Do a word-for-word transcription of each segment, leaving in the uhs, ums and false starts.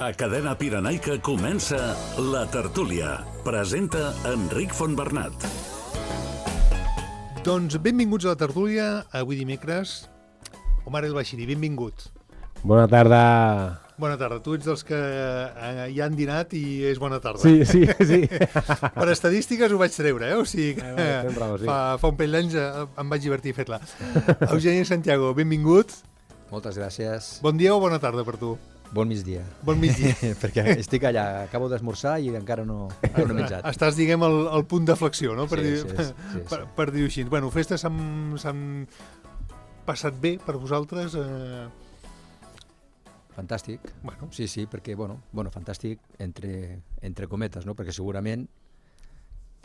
A Cadena Pirenaica comença La Tertúlia. Presenta Enric Fontbernat. Doncs benvinguts a La Tertúlia, avui dimecres. Omar El Bashiri, benvingut. Bona tarda. Bona tarda. Tu ets dels que eh, ja han dinat i és bona tarda. Sí, sí, sí. Per estadístiques ho vaig treure, eh? O sigui que eh, bueno, bravo, sí. fa, fa un parell d'anys em vaig divertir fer-la. Eugeni Santiago, benvingut. Moltes gràcies. Bon dia o bona tarda per tu? Bon migdia. Bon migdia. Perquè estic allà, acabo d'esmorzar i encara no, no he menjat. Estàs, diguem, al, al punt de flexió, no? Per, Sí, dir, sí, sí, sí, per, sí. per dir-ho així. Bueno, festes s'han passat bé per vosaltres? Eh... Fantàstic. Bueno. Sí, sí, perquè, bueno, bueno fantàstic entre, entre cometes, no? Perquè segurament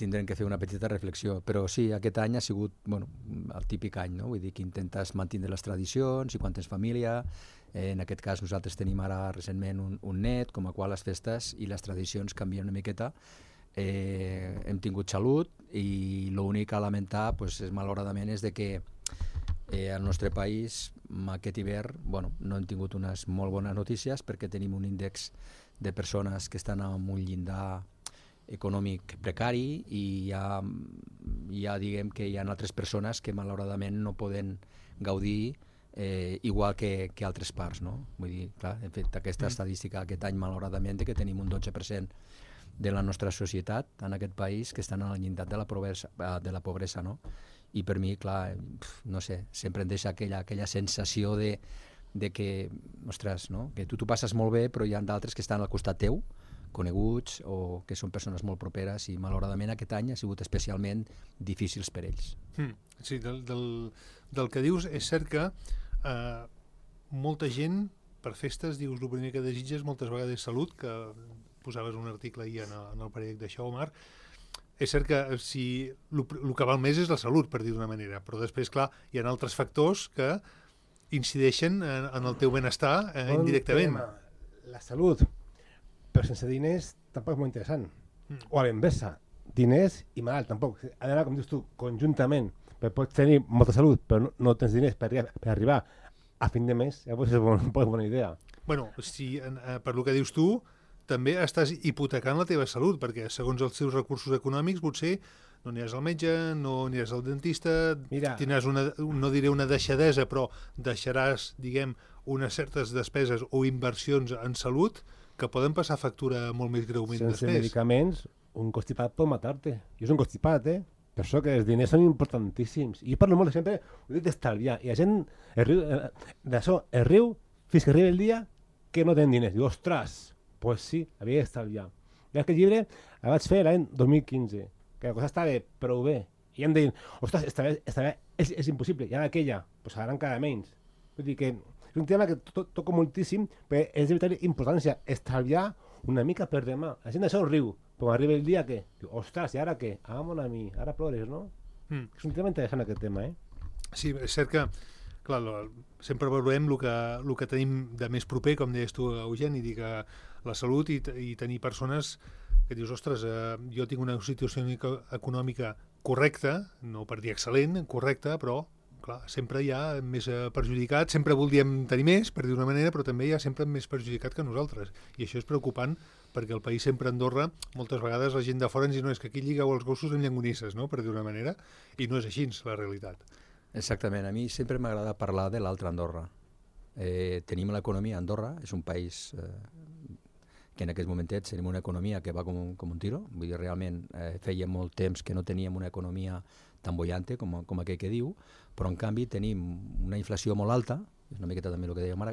tindrem que fer una petita reflexió, però sí, aquest any ha sigut, bueno, el típic any, no? Vull dir que intentes mantenir les tradicions i quan tens família, eh, en aquest cas nosaltres tenim ara recentment un, un net, com a qual les festes i les tradicions canvien una miqueta. Eh, hem tingut salut i l'únic a lamentar, pues, és, malauradament, és de que eh, al nostre país aquest hivern, bueno, no hem tingut unes molt bones notícies perquè tenim un índex de persones que estan en un llindar econòmic precari i ja, ja diguem que hi ha altres persones que malauradament no poden gaudir eh, igual que, que altres parts, no? Vull dir, clar, hem fet aquesta mm. estadística aquest any malauradament que tenim un dotze per cent de la nostra societat en aquest país que estan al llindar de la pobresa, de la pobresa, no? I per mi, clar, no sé, sempre em deixa aquella, aquella sensació de, de que, ostres, no? Que tu t'ho passes molt bé però hi ha d'altres que estan al costat teu, coneguts o que són persones molt properes i malauradament aquest any ha sigut especialment difícils per ells. Mm, sí, del, del, del que dius és cert que eh, molta gent per festes dius el primer que desitges moltes vegades salut, que posaves un article ahir en el, en el periòdic d'això, Omar. És cert que si el que val més és la salut, per dir d'una manera, però després, clar, hi ha altres factors que incideixen en, en el teu benestar eh, indirectament. La salut, però sense diners tampoc és molt interessant. Mm. O a l'inversa, diners i malalt tampoc. Ha d'anar, com dius tu, conjuntament. Perquè pots tenir molta salut, però no, no tens diners per, per arribar a fin de mes. Llavors és una bon, bona idea. Bueno, si, eh, per lo que dius tu, també estàs hipotecant la teva salut, perquè segons els teus recursos econòmics potser no aniràs al metge, no aniràs al dentista, Mira, tindràs una, no diré una deixadesa, però deixaràs, diguem, unes certes despeses o inversions en salut que poden passar factura molt més greument sense després. Sense medicaments, un constipat pot matar-te. Jo soc un constipat, eh? Per això que els diners són importantíssims. I jo parlo molt sempre, ho dic d'estalviar, i la gent es riu, d'això, es riu fins que arriba el dia que no tenen diners. Diu, ostres, doncs pues sí, havia d'estalviar. I aquest llibre el vaig fer l'any dos mil quinze, que la cosa estava prou bé. I em deien, ostres, estalviar, estalviar és, és impossible, i ara aquella, doncs pues ara encara menys. Vull dir que és un tema que to toco moltíssim, perquè és de vital importància estalviar una mica per demà. La gent d'això riu, però arriba el dia que diu, ostres, i ara què? Ah, mon ami, ara plores, no? Mm. És un tema interessant aquest tema, eh? Sí, és cert que, clar, lo, sempre veurem el que, el que tenim de més proper, com deies tu, Eugeni, dir que la salut i, i tenir persones que dius, ostres, eh, jo tinc una situació econòmica correcta, no per dir excel·lent, correcta, però clar, sempre hi ha més perjudicat, sempre voldríem tenir més, per dir d'una manera, però també hi ha sempre més perjudicat que nosaltres. I això és preocupant perquè el país sempre a Andorra, moltes vegades la gent de fora ens diu no, és que aquí lligueu els gossos amb llangonisses, no? Per dir d'una manera, i no és així la realitat. Exactament, a mi sempre m'agrada parlar de l'altra Andorra. Eh, tenim l'economia a Andorra, és un país eh, que en aquests momentets tenim una economia que va com un, com un tiro, vull dir, realment eh, feia molt temps que no teníem una economia tan bollante com, com aquell que diu, però en canvi tenim una inflació molt alta, és una miqueta també el que deia Mara,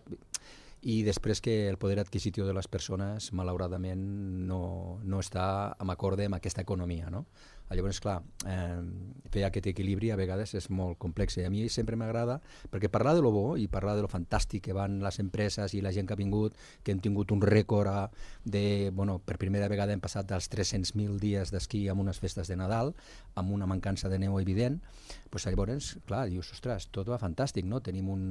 i després que el poder adquisitiu de les persones malauradament no, no està en acorde amb aquesta economia, no? Llavors, clar, eh, fer aquest equilibri a vegades és molt complex i a mi sempre m'agrada, perquè parlar de lo bo i parlar de lo fantàstic que van les empreses i la gent que ha vingut, que hem tingut un rècord a, de, bueno, per primera vegada hem passat dels tres-cents mil dies d'esquí amb unes festes de Nadal, amb una mancança de neu evident, pues llavors, clar, dius, ostres, tot va fantàstic, no? Tenim un,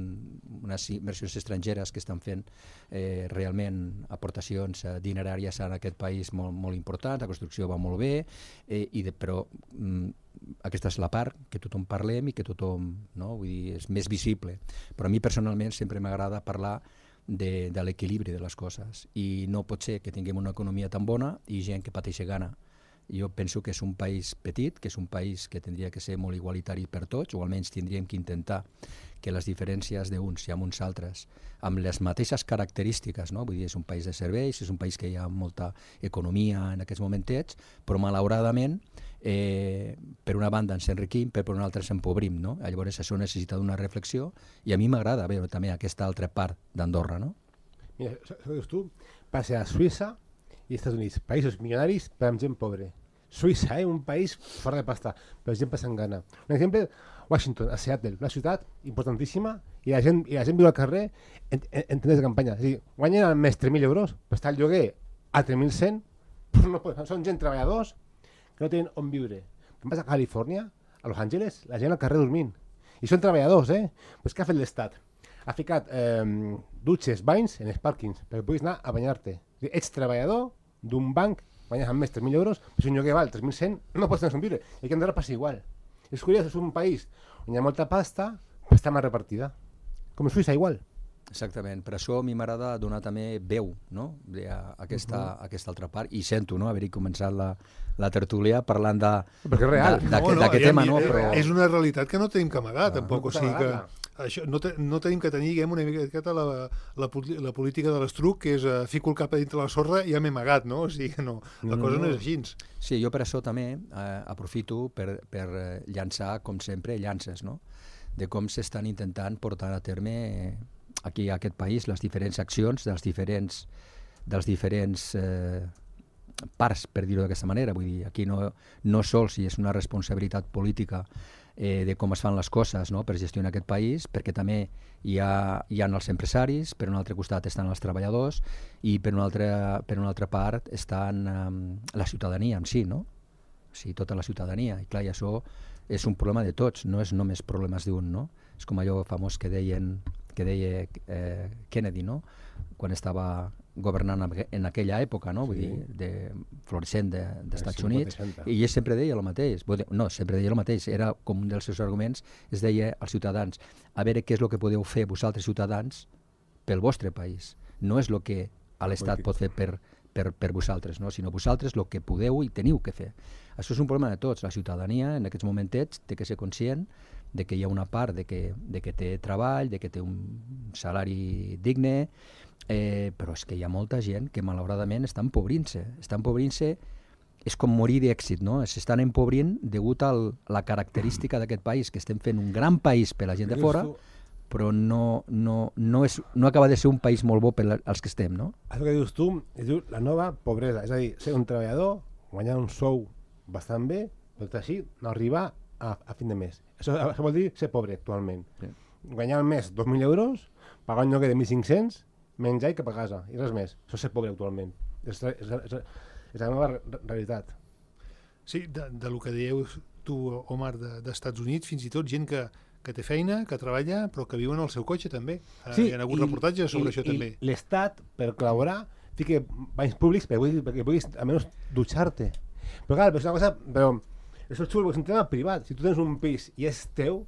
unes inversions estrangeres que estan fent eh, realment aportacions eh, dineràries en aquest país molt, molt importants, la construcció va molt bé, eh, i de, però mm, aquesta és la part que tothom parlem i que tothom, no? Vull dir, és més visible. Però a mi personalment sempre m'agrada parlar de, de l'equilibri de les coses. I no pot ser que tinguem una economia tan bona i gent que pateixi gana. Jo penso que és un país petit, que és un país que tindria que ser molt igualitari per tots, o almenys tindríem que intentar que les diferències d'uns i amb uns altres, amb les mateixes característiques, no? Vull dir, és un país de serveis, és un país que hi ha molta economia en aquests momentets, però malauradament, eh, per una banda ens enriquim, però per una altra ens empobrim, no? Llavors això necessita una reflexió i a mi m'agrada veure també aquesta altra part d'Andorra, no? Mira, això que dius tu, passa a Suïssa i Estats Units, països milionaris però amb gent pobre. Suïssa, eh? Un país fora de pasta, però gent passant gana. Un exemple, Washington, a Seattle, una ciutat importantíssima, i la gent, i la gent viu al carrer en, en, en tendes de campanya. És a dir, guanyen al mes tres mil euros, però està el lloguer a tres mil cent, però no poden, són gent treballadors que no tenen on viure. Què passa a Califòrnia, a Los Angeles, la gent al carrer dormint. I són treballadors, eh? Pues què ha fet l'Estat? Ha ficat eh, dutxes, banys en els pàrquings, perquè puguis anar a banyar-te. Ets treballador d'un banc, guanyes al mes tres mil euros, però si un lloguer val tres mil cent, no pots tenir on viure. I aquí a Andorra passa igual. És curiós, és un país on hi ha molta pasta, però està mal repartida. Com a Suïssa, igual. Exactament, per això a mi m'agrada donar també veu, no? a aquesta, uh-huh. aquesta altra part, i sento no? haver-hi començat la, la tertúlia parlant de, perquè és real. d'aquest no, no, tema. Ja, no? Però... És una realitat que no tenim que amagar, no, tampoc. No, o sigui que això, no, te, no tenim que tenir, diguem, una miqueta la, la, la política de l'estruc, que és uh, fico el cap a dintre la sorra i ja m'he amagat, no? O sigui que no, la no, cosa no. no és així. Sí, jo per això també eh, aprofito per, per llançar, com sempre, llances, no? De com s'estan intentant portar a terme eh, aquí a aquest país les diferents accions dels diferents, dels diferents eh, parts, per dir-ho d'aquesta manera. Vull dir, aquí no, no sols si és una responsabilitat política eh, de com es fan les coses, no? Per gestionar aquest país, perquè també hi ha, hi ha els empresaris, per un altre costat estan els treballadors i per una altra, per una altra part estan um, la ciutadania en si, no? O sigui, tota la ciutadania. I clar, i això és un problema de tots, no és només problemes d'un, no? És com allò famós que deien que deia eh, Kennedy, no? Quan estava governant en aquella època, no? Vull sí. dir, de florissent de, d'Estats sí, Units, i ell sempre deia el mateix. No, sempre deia el mateix, era com un dels seus arguments, es deia als ciutadans, a veure què és el que podeu fer vosaltres ciutadans pel vostre país. No és el que l'Estat pot fer per, per, per vosaltres, no? Sinó vosaltres el que podeu i teniu que fer. Això és un problema de tots. La ciutadania en aquests momentets té que ser conscient de que hi ha una part de que, de que té treball, de que té un salari digne, eh, però és que hi ha molta gent que malauradament està empobrint-se. Està empobrint-se, és com morir d'èxit, no? S'estan empobrint degut a la característica d'aquest país, que estem fent un gran país per la gent de fora, però no, no, no, és, no acaba de ser un país molt bo per als que estem, no? Això que dius tu, es diu la nova pobresa, és a dir, ser un treballador, guanyar un sou bastant bé, però així no arribar a, a fin de mes. Això, això vol dir ser pobre actualment. Sí. Guanyar al mes dos mil euros, pagar un lloguer de mil cinc-cents, menjar i cap a casa, i res més. Això és ser pobre actualment. És, és, és, és la nova realitat. Sí, de, de lo que dieu tu, Omar, de, d'Estats Units, fins i tot gent que, que té feina, que treballa, però que viu en el seu cotxe també. Sí, hi ha hagut i, reportatges sobre i, això i també. I l'Estat, per col·laborar, fica banys públics perquè, perquè puguis almenys dutxar-te. Però clar, és una cosa... Però, això és xulo, és un tema privat. Si tu tens un pis i és teu,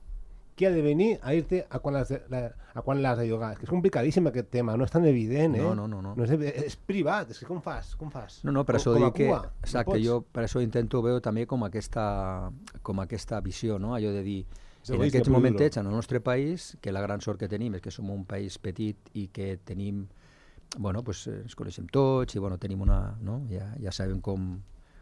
qui ha de venir a dir-te a quan l'has de, a quan l'has de llogar? És que és complicadíssim aquest tema, no és tan evident, eh? No, no, no. no. no és, és privat, és que com fas? Com fas? No, no, per això com, dic que... Exacte, no jo per això intento veure també com aquesta, com aquesta visió, no? Allò de dir, sí, en aquests momentets, en el nostre país, que la gran sort que tenim és que som un país petit i que tenim, bueno, pues ens coneixem tots i bueno, tenim una, no? Ja, ja sabem com,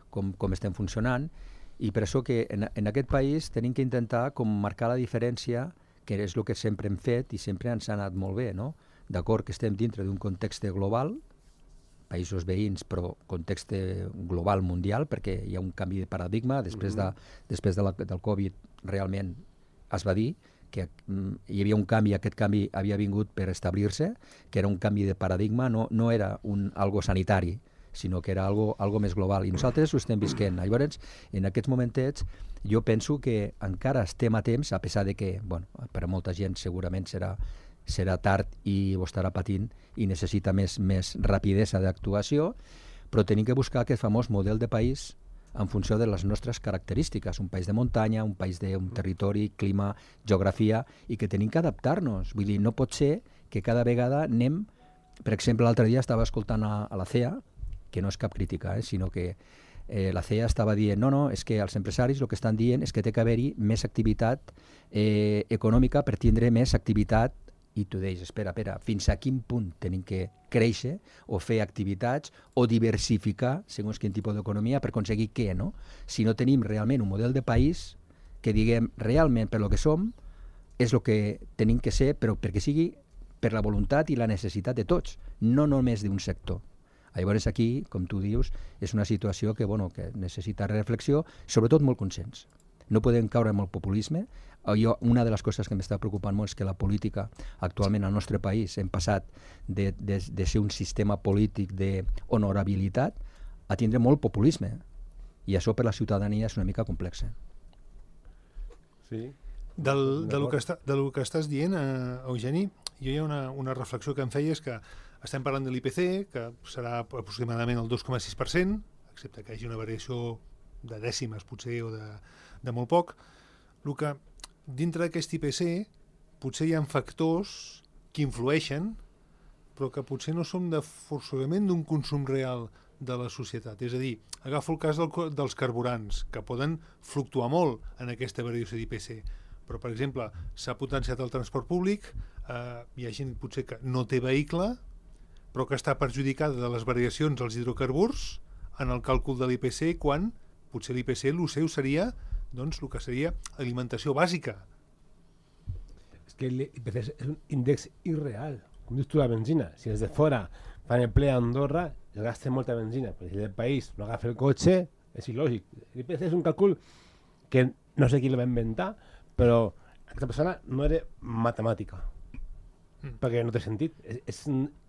com, com estem funcionant, i per això que en, en aquest país tenim que intentar com marcar la diferència, que és el que sempre hem fet i sempre ens ha anat molt bé, no? D'acord que estem dintre d'un context global, països veïns, però context global mundial, perquè hi ha un canvi de paradigma, després, de, després de la, del Covid realment es va dir que mm, hi havia un canvi, aquest canvi havia vingut per establir-se, que era un canvi de paradigma, no, no era un, algo sanitari, sinó que era algo, algo més global. I nosaltres ho estem visquent. Llavors, en aquests momentets, jo penso que encara estem a temps, a pesar de que, bueno, per a molta gent segurament serà, serà tard i ho estarà patint i necessita més, més rapidesa d'actuació, però tenim que buscar aquest famós model de país en funció de les nostres característiques, un país de muntanya, un país d'un territori, clima, geografia, i que tenim que adaptar-nos. Vull dir, no pot ser que cada vegada anem per exemple, l'altre dia estava escoltant a, a la C E A, que no és cap crítica, eh, sinó que eh, la C E A estava dient, no, no, és que els empresaris el que estan dient és que té que haver-hi més activitat eh, econòmica per tindre més activitat, i tu deies, espera, espera, fins a quin punt tenim que créixer o fer activitats o diversificar segons quin tipus d'economia per aconseguir què, no? Si no tenim realment un model de país que diguem realment per lo que som és el que tenim que ser, però perquè sigui per la voluntat i la necessitat de tots, no només d'un sector. Llavors aquí, com tu dius, és una situació que, bueno, que necessita reflexió, sobretot molt consens. No podem caure en el populisme. Jo, una de les coses que m'està preocupant molt és que la política actualment al nostre país hem passat de, de, de ser un sistema polític d'honorabilitat a tindre molt populisme. I això per la ciutadania és una mica complex. Sí. Del, del, que està, del que estàs dient, eh, Eugeni, jo hi ha una, una reflexió que em feia, és que estem parlant de l'I P C, que serà aproximadament el dos coma sis per cent, excepte que hi hagi una variació de dècimes, potser, o de, de molt poc. El que dintre d'aquest I P C potser hi ha factors que influeixen, però que potser no són de forçosament d'un consum real de la societat. És a dir, agafo el cas del, dels carburants, que poden fluctuar molt en aquesta variació d'I P C. Però, per exemple, s'ha potenciat el transport públic, eh, hi ha gent potser que no té vehicle, però que està perjudicada de les variacions dels hidrocarburs en el càlcul de l'I P C, quan potser l'I P C, el seu seria, doncs, el que seria alimentació bàsica. És que l'I P C és un índex irreal. Com dius tu, la benzina, si des de fora fan el ple a Andorra, es gasta molta benzina, però si el país no agafa el cotxe, és il·lògic. L'I P C és un càlcul que no sé qui el va inventar, però aquesta persona no era matemàtica, mm. perquè no té sentit, és, és,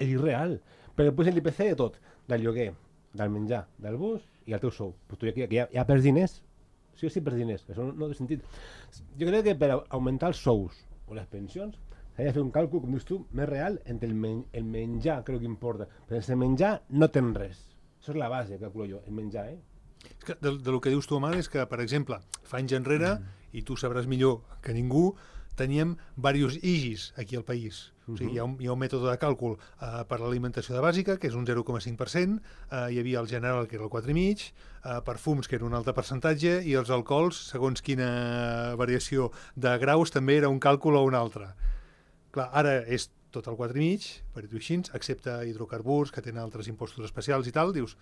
és irreal. Perquè posen l'I P C de tot, del lloguer, del menjar, del bus i el teu sou. Però tu aquí, aquí ja, ja perds diners, sí o sí perds diners, això no, no té sentit. Jo crec que per augmentar els sous o les pensions s'ha de fer un càlcul, com dius tu, més real entre el, men el menjar, crec que importa. Però sense menjar no tens res. Això és la base, calculo jo, el menjar, eh? És que de, de lo que dius tu, Amal, és que, per exemple, fa anys enrere, mm. i tu sabràs millor que ningú, teníem diversos I G Is aquí al país. Uh -huh. O sigui, hi ha, un, hi ha un mètode de càlcul uh, per l'alimentació de bàsica, que és un zero coma cinc per cent, uh, hi havia el general, que era el quatre coma cinc, uh, perfums, que era un altre percentatge, i els alcohols, segons quina variació de graus, també era un càlcul o un altre. Clar, ara és tot el quatre coma cinc, per dir-ho així, excepte hidrocarburs, que tenen altres impostos especials i tal, dius,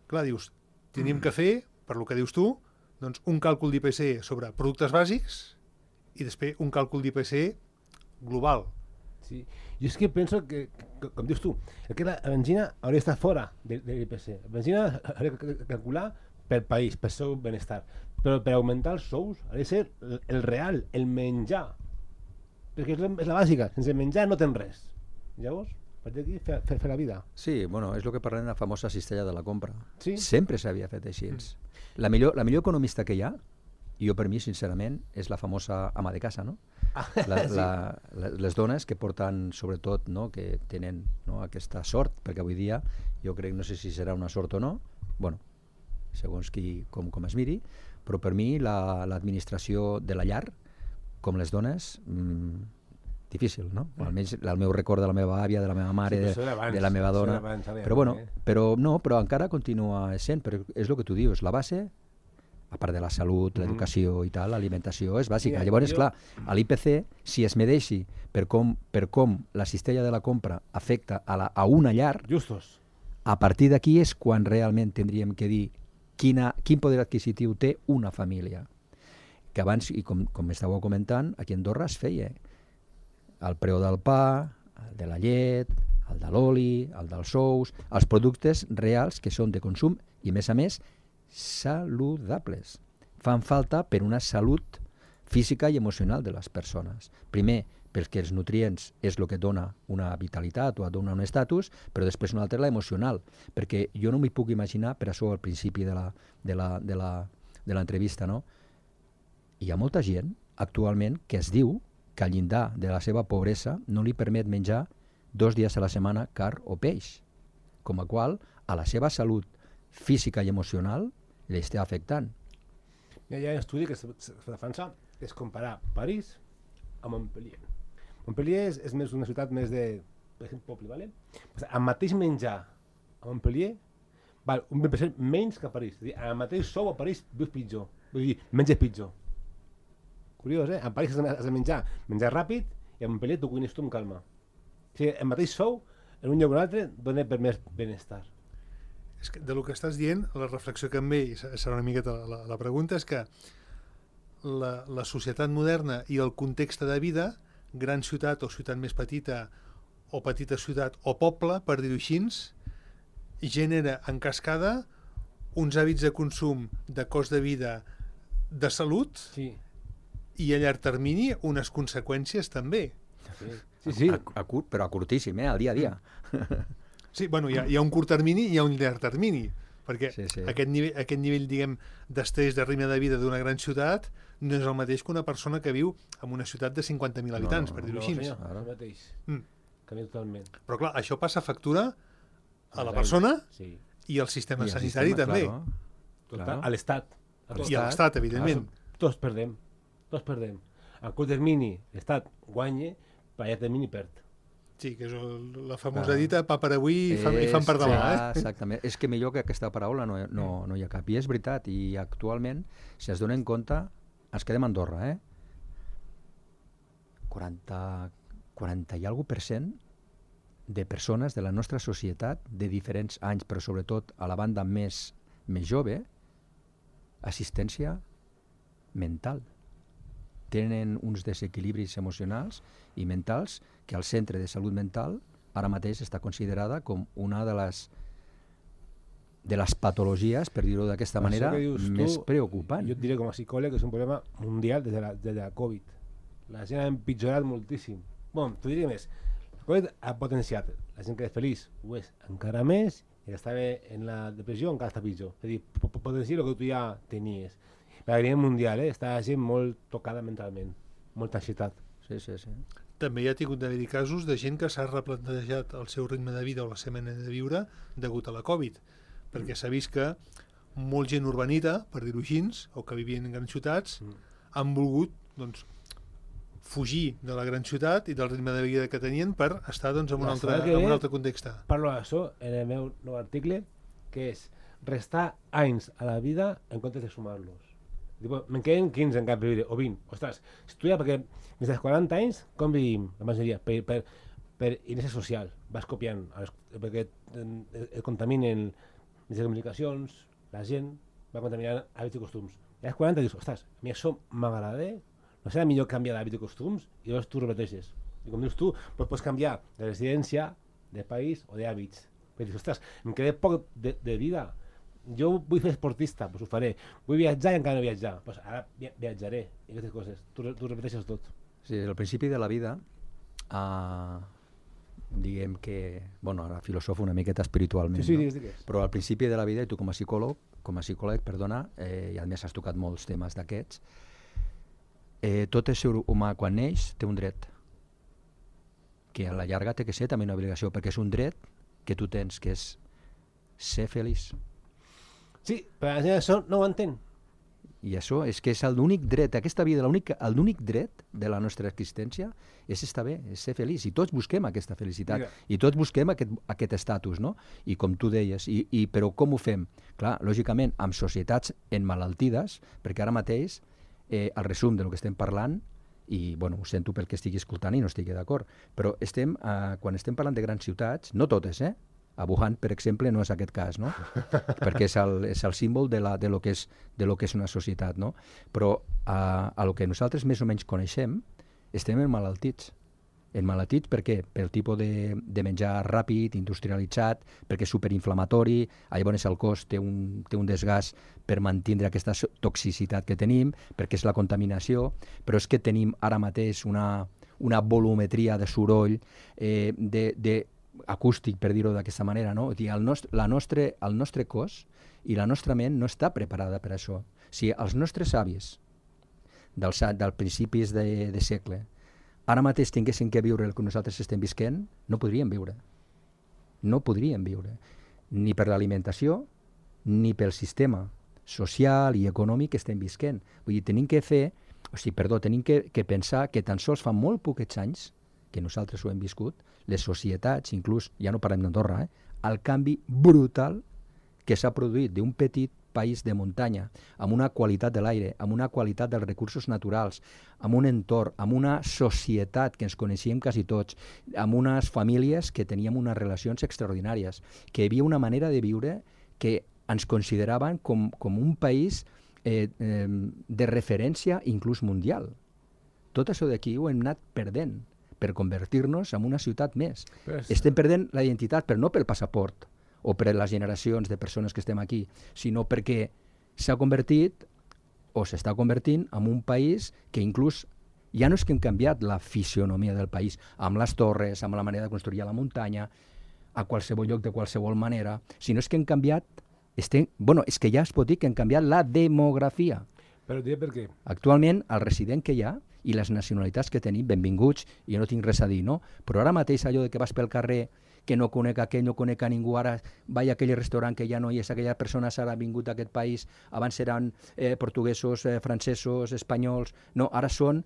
clar, dius, tenim que fer, per lo que dius tu, doncs un càlcul d'I P C sobre productes bàsics i després un càlcul d'I P C global. Sí, jo és que penso que, que com dius tu, que la benzina hauria d'estar fora de, de l'I P C. La benzina hauria de calcular pel país, pel seu benestar, però per augmentar els sous hauria de ser el, el real, el menjar, perquè és la, és la bàsica, sense menjar no tens res. Llavors, a partir d'aquí fer, fer, fer la vida. Sí, bueno, és el que parlem de la famosa cistella de la compra. Sí? Sempre s'havia fet així. Mm. La millor, la millor economista que hi ha, jo per mi, sincerament, és la famosa ama de casa, no? Ah, la, sí. la, la, les dones que porten, sobretot, no, que tenen, no, aquesta sort, perquè avui dia jo crec, no sé si serà una sort o no, bueno, segons qui, com, com es miri, però per mi l'administració la, de la llar, com les dones, mmm, difícil, no? Mm. Almenys el meu record de la meva àvia, de la meva mare, sí, de, abans, de la meva dona, abans, però bueno, però no, però encara continua sent, però és el que tu dius, la base, a part de la salut, mm. l'educació i tal, l'alimentació és bàsica. Sí, llavors, jo... clar, a l'I P C, si es medeixi per com, per com la cistella de la compra afecta a, la, a una llar, justos, a partir d'aquí és quan realment tindríem que dir quina, quin poder adquisitiu té una família. Que abans, i com, com estàveu comentant, aquí a Andorra es feia el preu del pa, el de la llet, el de l'oli, el dels sous, els productes reals que són de consum i, a més a més, saludables. Fan falta per una salut física i emocional de les persones. Primer, perquè els nutrients és el que dona una vitalitat o dona un estatus, però després una altra la emocional, perquè jo no m'hi puc imaginar, per això al principi de la, de la, de la, de l'entrevista, no? Hi ha molta gent actualment que es diu que al llindar de la seva pobresa no li permet menjar dos dies a la setmana carn o peix, com a qual a la seva salut física i emocional li està afectant. Hi ha un estudi que es defensa, és comparar París amb Montpellier. Montpellier és, és més una ciutat més de per exemple, poble, ¿vale? Pues el mateix menjar a Montpellier val un vint per cent menys que a París. És a dir, el mateix sou a París vius pitjor. Vull dir, menges pitjor. Curiós, eh? A París has de, has de menjar, menjar ràpid, i a Montpellier tu cuines tu amb calma. O sigui, el mateix sou, en un lloc o un altre, dona per més benestar. És que de lo que estàs dient, la reflexió que em ve, i serà una miqueta la, la pregunta, és que la, la societat moderna i el context de vida, gran ciutat o ciutat més petita, o petita ciutat o poble, per dir-ho així, genera en cascada uns hàbits de consum, de cost de vida, de salut, Sí. i a llarg termini unes conseqüències també. Sí, sí. sí. A, a curt, però a curtíssim, eh? Al dia a dia. Sí, bueno, hi ha, hi ha un curt termini i hi ha un llarg termini, perquè Sí, sí. Aquest, nivell, aquest nivell, diguem, d'estrès, de ritme de vida d'una gran ciutat no és el mateix que una persona que viu en una ciutat de cinquanta mil habitants, no, per dir-ho No, així. senyor, Ara. el mateix. Mm. Canvia totalment. Però clar, això passa factura a la Exacte. persona Sí. i al sistema I el sanitari sistema, també. claro. Total, Claro. a l'Estat. A A tot. I a l'Estat, evidentment. Tots perdem. Tots perdem. A curt termini, l'Estat guanya, però a llarg termini perd. Sí, que és el, la famosa Clar. dita, pa per avui i fan, i fan per És- demà. clar, Eh? Exactament. És que millor que aquesta paraula no, no, no hi ha cap. I és veritat. I actualment, si es donen compte, ens quedem a Andorra, eh? quaranta, quaranta i alguna per cent de persones de la nostra societat, de diferents anys, però sobretot a la banda més, més jove, assistència mental. Tenen uns desequilibris emocionals i mentals que el centre de salut mental ara mateix està considerada com una de les de les patologies, per dir-ho d'aquesta manera, Això que dius més tu, preocupant. Jo et diré com a psicòleg que és un problema mundial des de la, des de la Covid. La gent ha empitjorat moltíssim. Bueno, t'ho diré més. La Covid ha potenciat. La gent que és feliç ho és encara més i que estava en la depressió encara està pitjor. És a dir, potenciar el que tu ja tenies. La grilla mundial, eh? Està la gent molt tocada mentalment. Molta ansietat. Sí, sí, sí. També hi ha tingut d'haver-hi casos de gent que s'ha replantejat el seu ritme de vida o la seva manera de viure degut a la Covid, perquè s'ha vist que molt gent urbanita, per dir-ho així, o que vivien en grans ciutats, Mm. han volgut doncs, fugir de la gran ciutat i del ritme de vida que tenien per estar doncs, en, un La altre, setmana que en un ve- altre context. Parlo d'això en el meu nou article, que és restar anys a la vida en comptes de sumar-los. Tipo, me'n queden quinze encara per viure, o vint. Ostres, estudia perquè des dels quaranta anys, com vivim la majoria? Per, per, per inèrcia social. Vas copiant, a les, perquè et, et contaminen les comunicacions, la gent va contaminant hàbits i costums. I als quaranta dius, ostres, a mi això m'agrada, no serà millor canviar d'hàbits i costums? I llavors tu repeteixes. I com dius tu, doncs pots canviar de residència, de país o d'hàbits. Perquè dius, ostres, em queda poc de, de vida. Jo vull fer esportista, doncs ho faré. Vull viatjar i encara no viatjar. Doncs ara via viatjaré. I aquestes coses. Tu, tu repeteixes tot. Sí, al principi de la vida, uh, diguem que, bueno, ara filosofo una miqueta espiritualment, Sí, sí, no? digues, digues. Però al principi de la vida, i tu com a psicòleg, com a psicòleg, perdona, eh, i a més has tocat molts temes d'aquests, eh, tot ésser humà quan neix té un dret, que a la llarga té que ser també una obligació, perquè és un dret que tu tens, que és ser feliç. Sí, però la gent això no ho entén. I això és que és l'únic dret, aquesta vida, l'únic dret de la nostra existència és estar bé, és ser feliç. I tots busquem aquesta felicitat, Mira. i tots busquem aquest, aquest estatus, no? I com tu deies, i, i, però com ho fem? Clar, lògicament, amb societats enmalaltides, perquè ara mateix eh, el resum del que estem parlant, i bueno, ho sento pel que estigui escoltant i no estigui d'acord, però estem, eh, quan estem parlant de grans ciutats, no totes, eh? A Wuhan, per exemple, no és aquest cas, no? Perquè és el, és el símbol de, la, de, lo que és, de lo que és una societat, no? Però a, a lo que nosaltres més o menys coneixem, estem emmalaltits. Emmalaltits per què? Pel tipus de, de menjar ràpid, industrialitzat, perquè és superinflamatori, llavors el cos té un, té un desgast per mantenir aquesta toxicitat que tenim, perquè és la contaminació, però és que tenim ara mateix una, una volumetria de soroll, eh, de, de acústic, per dir-ho d'aquesta manera, no? O sigui, el, nostre, la nostre, el nostre cos i la nostra ment no està preparada per això. O sigui, els nostres avis dels, dels principis de, de segle ara mateix tinguessin que viure el que nosaltres estem visquent, no podríem viure. No podríem viure. Ni per l'alimentació, ni pel sistema social i econòmic que estem visquent. Vull dir, tenim que fer, o sigui, perdó, tenim que, que pensar que tan sols fa molt poquets anys que nosaltres ho hem viscut, les societats, inclús, ja no parlem d'Andorra, eh, el canvi brutal que s'ha produït d'un petit país de muntanya, amb una qualitat de l'aire, amb una qualitat dels recursos naturals, amb un entorn, amb una societat que ens coneixíem quasi tots, amb unes famílies que teníem unes relacions extraordinàries, que hi havia una manera de viure que ens consideraven com, com un país eh, eh, de referència inclús mundial. Tot això d'aquí ho hem anat perdent per convertir-nos en una ciutat més. Pues... Estem perdent la identitat, però no pel passaport o per les generacions de persones que estem aquí, sinó perquè s'ha convertit o s'està convertint en un país que inclús ja no és que hem canviat la fisionomia del país, amb les torres, amb la manera de construir a la muntanya, a qualsevol lloc de qualsevol manera, sinó és que hem canviat, estem, bueno, és que ja es pot dir que hem canviat la demografia. Però diré per què. Actualment, el resident que hi ha i les nacionalitats que tenim, benvinguts, i jo no tinc res a dir, no? Però ara mateix allò de que vas pel carrer que no conec aquell, no conec a ningú, ara vaig a aquell restaurant que ja no hi és, aquella persona s'ha vingut a aquest país, abans eren eh, portuguesos, eh, francesos, espanyols, no, ara són,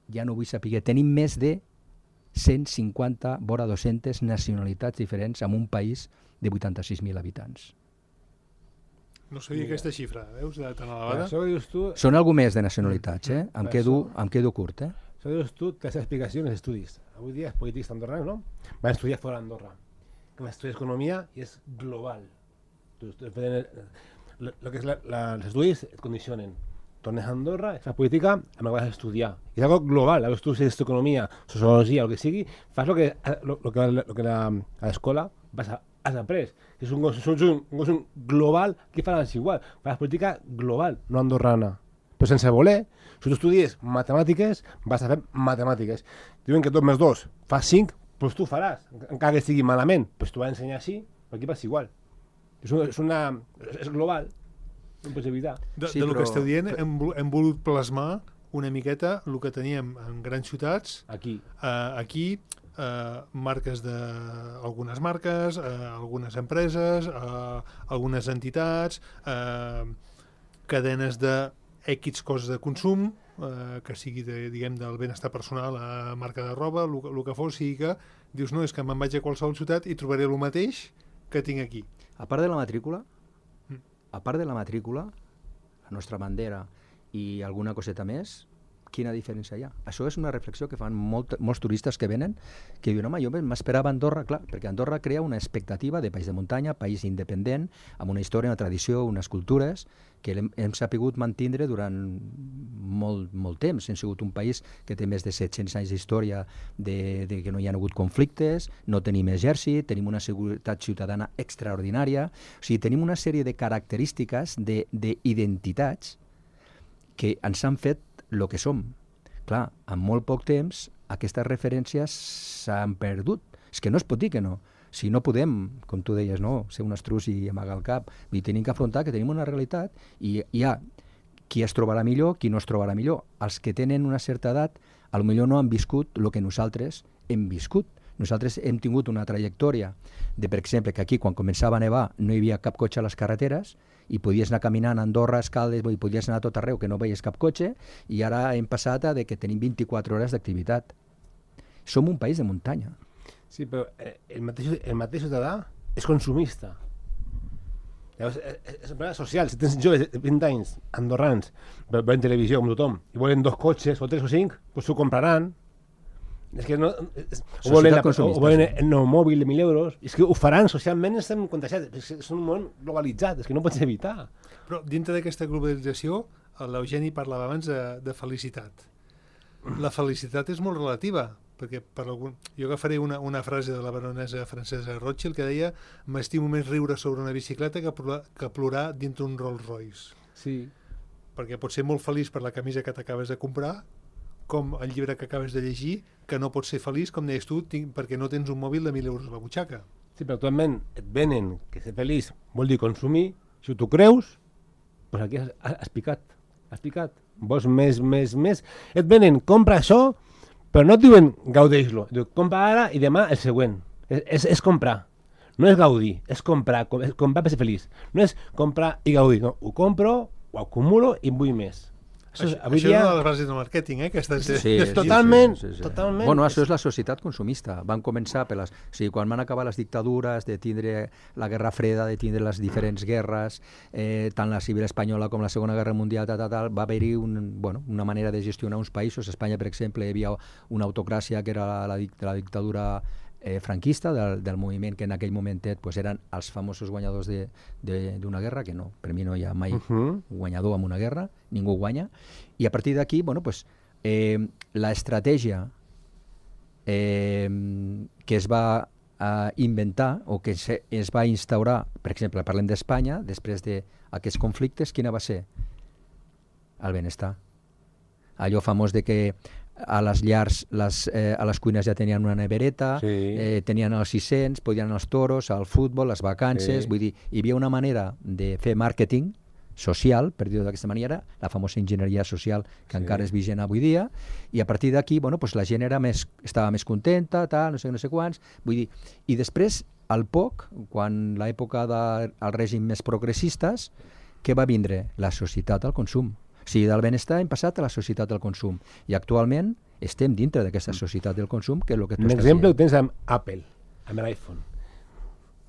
ja no vull saber, tenim més de cent cinquanta, vora dues-centes nacionalitats diferents en un país de vuitanta-sis mil habitants. No sabia Mira. aquesta xifra, veus, de tan Però elevada. això que dius tu, Són algú més de nacionalitats, eh? Em Per quedo, això- em quedo curt, eh? això que dius tu, té explicació en els estudis. Avui dia els polítics andorranos, no? Van estudiar fora d'Andorra. Que estudiar economia i és global. Tu, tu, el, el que és la, la, els estudis et condicionen. Tornes a Andorra, fas política, amb la que vas a estudiar. És algo global, algo tu estudies economia, sociologia, el que sigui, fas lo que, lo, lo que, lo que la, a l'escola vas a, has après. És un gos un, un, un global que fas igual. Fas política global, no andorrana. Però sense voler, si tu estudies matemàtiques, vas a fer matemàtiques. Diuen que dos més dos fa cinc, doncs tu faràs, encara que estigui malament, doncs tu vas ensenyar així, però aquí passa igual. És, una, és, una, és global, no pots evitar. De, Sí, de lo però- que esteu dient, hem, vol- hem volut plasmar una miqueta el que teníem en grans ciutats, Aquí. eh, aquí, eh, marques de algunes marques, eh, algunes empreses, eh, algunes entitats, eh, cadenes de X coses de consum, eh, que sigui de, diguem, del benestar personal a marca de roba, el que fos, sigui que dius, no, és que me'n vaig a qualsevol ciutat i trobaré el mateix que tinc aquí. A part de la matrícula, Mm. a part de la matrícula, la nostra bandera i alguna coseta més, quina diferència hi ha? Això és una reflexió que fan molt, molts turistes que venen, que diuen, home, jo m'esperava Andorra, clar, perquè Andorra crea una expectativa de país de muntanya, país independent, amb una història, una tradició, unes cultures, que hem, hem sapigut mantindre durant molt, molt temps. Hem sigut un país que té més de set-cents anys d'història de, de que no hi ha hagut conflictes, no tenim exèrcit, tenim una seguretat ciutadana extraordinària, o sigui, tenim una sèrie de característiques, d'identitats, que ens han fet el que som. Clar, en molt poc temps aquestes referències s'han perdut. És que no es pot dir que no. Si no podem, com tu deies, no, ser un estrus i amagar el cap, i tenim que afrontar que tenim una realitat i hi ha qui es trobarà millor, qui no es trobarà millor. Els que tenen una certa edat, a lo millor no han viscut el que nosaltres hem viscut. Nosaltres hem tingut una trajectòria de, per exemple, que aquí quan començava a nevar no hi havia cap cotxe a les carreteres i podies anar caminant a Andorra, a Escaldes, i podies anar a tot arreu que no veies cap cotxe, i ara hem passat a de que tenim vint-i-quatre hores d'activitat. Som un país de muntanya. Sí, però eh, el mateix, el mateix ciutadà és consumista. Llavors, és, és un problema social. Si tens joves de vint anys, andorrans, veuen televisió com tothom, i volen dos cotxes, o tres o cinc, doncs s'ho compraran. És que no... És, o volen, la, o volen el nou mòbil de mil euros. És que ho faran socialment, estem contagiats. És, és un món globalitzat, és que no pots evitar. Però dintre d'aquesta globalització, l'Eugeni parlava abans de, de felicitat. La felicitat és molt relativa, perquè per algun... jo agafaré una, una frase de la baronesa francesa Rothschild que deia m'estimo més riure sobre una bicicleta que plorar, que plorar dintre un Rolls Royce. Sí. Perquè pots ser molt feliç per la camisa que t'acabes de comprar, com el llibre que acabes de llegir, que no pots ser feliç, com deies tu, tinc, perquè no tens un mòbil de mil euros a la butxaca. Sí, però actualment et venen que ser feliç vol dir consumir. Si tu creus, doncs aquí has, has picat. Has picat. Vols més, més, més. Et venen, compra això, però no et diuen gaudeix-lo. Et diuen, compra ara i demà el següent. És, és, és comprar. No és gaudir, és comprar. Com, és comprar per ser feliç. No és comprar i gaudir. No, ho compro, ho acumulo i en vull més. Això, és, Això, avui això dia... és una de les bases del màrqueting, eh? Aquestes... Sí, sí, és totalment, sí, sí, sí. totalment. Bueno, això és la societat consumista. Van començar per les... O sigui, quan van acabar les dictadures, de tindre la Guerra Freda, de tindre les diferents guerres, eh, tant la civil espanyola com la Segona Guerra Mundial, tal, tal, tal, va haver-hi un, bueno, una manera de gestionar uns països. A Espanya, per exemple, hi havia una autocràcia que era la, la, la dictadura eh, franquista del, del moviment que en aquell momentet pues, eren els famosos guanyadors d'una guerra, que no, per mi no hi ha mai Uh-huh. guanyador en una guerra, ningú guanya, i a partir d'aquí, bueno, pues, eh, la estratègia eh, que es va eh, inventar o que se, es va instaurar, per exemple, parlem d'Espanya, després d'aquests conflictes, quina va ser? El benestar. Allò famós de que a les llars, les, eh, a les cuines ja tenien una nevereta, Sí. eh, tenien els sis-cents, podien anar als toros, al futbol, les vacances, Sí. vull dir, hi havia una manera de fer màrqueting social, per dir-ho d'aquesta manera, la famosa enginyeria social que Sí. encara és vigent avui dia, i a partir d'aquí, bueno, pues la gent era més, estava més contenta, tal, no sé, no sé quants, vull dir, i després, al poc, quan l'època dels de, règim més progressistes, què va vindre? La societat al consum. O sigui, del benestar hem passat a la societat del consum. I actualment estem dintre d'aquesta societat del consum, que és el que tu Un estàs exemple ho dient. tens amb Apple, amb l'iPhone.